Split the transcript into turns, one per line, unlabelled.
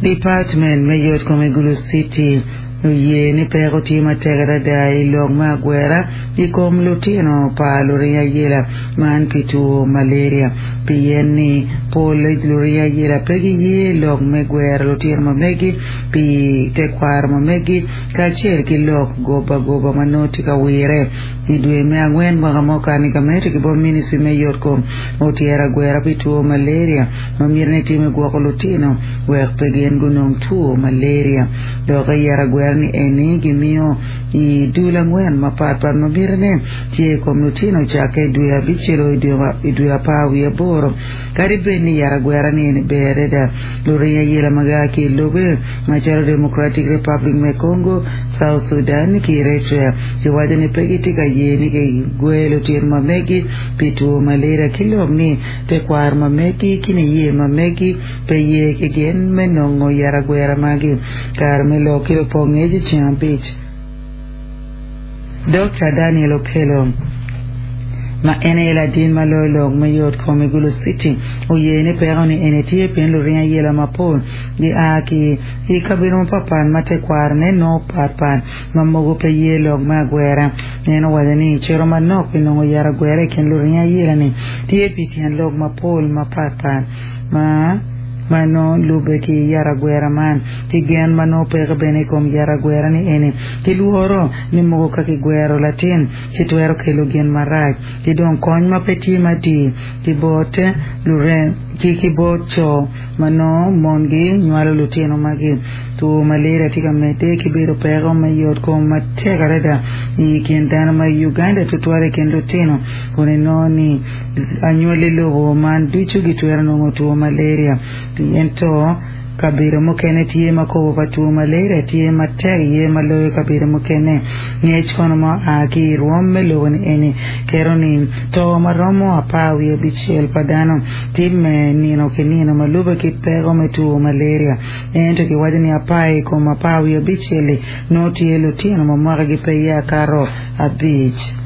Department me yotkom i Gulu City oye ni peko tye matek adada i lok me agwera i kom lutino pa luring ayela man pi two malaria pien ni pol luring ayela pe giye lok me gwero lutino ma megi pi tekwaro ma megi kacel ki lok goba goba ma nongo tye ka wire. I dwe me angwen mwaka ma okato ni gamente ki bot ministry me yotkom otyero agwera pi two malaria ma mitine tye me gwoko lutino wek pe gin gunong two malaria. Dok iyero agwera ni eni gimiyo i dul angwen mapat pat ma mitine tye i kom lutino cakke i dwe abicel o i dwe apar wiye aboro. Kadi bed ni yero agwera ni eni ber adada, luring ayela ma gia ki i lobe macalo Democratic Republic me Congo, South Sudan, ki Eritrea giwaco ni pe gitye ka ye ni kigwe lutino ma megi pi two malaria ki lok ni tekwaro ma megi ki niye ma megi pe ye ki gin me nongo yero agwera magi. Kare me lok ki lupong ngec i ceng abic. Dokta Daniel Okello, ma en aye ladin ma loyo lok me yot kom i Gulu City, oye ni peko ni eni tye pien luring ayela mapol gia ki i kabedo mapatpat ma tekwarone nongo patpat ma mogo pe ye lok me agwera. En owaco ni cito manok pi nongo yat agwera i kin luring ayela-ni tye pi tyen lok mapol mapatpat ma ma nongo lubbe ki yat agwera man, ki gen ma nongo peke bene i kom yat agwera-ni eni, ki lworo ni mogo ka kigwero latin ci twero kelo gin marac, ki dong kony ma pe tye matir ki bot lurem ki ki bot co ma nongo mongi nywalo lutino magi. Two malaria tye ka medde ki bedo peko me yotkom matek adada i kin dano ma i Uganda tutwal i kin lutino kun inongo ni Anywali lobo man ducu gitwero nongo two malaria. Ento, kabedo mukene tye ma kobo pa two malaria tye matek iye ma loyo kabedo mukene. Ngec kono ma oa ki i rwom me lobo-ni eni keto ni to ma romo 15 pa dano timme nino ki nino ma lubbe ki peko me two malaria. Ento kiwaco ni apar i kom apar wiye abicel-li nongo tye lutino ma mwakagi pe ye akato abic.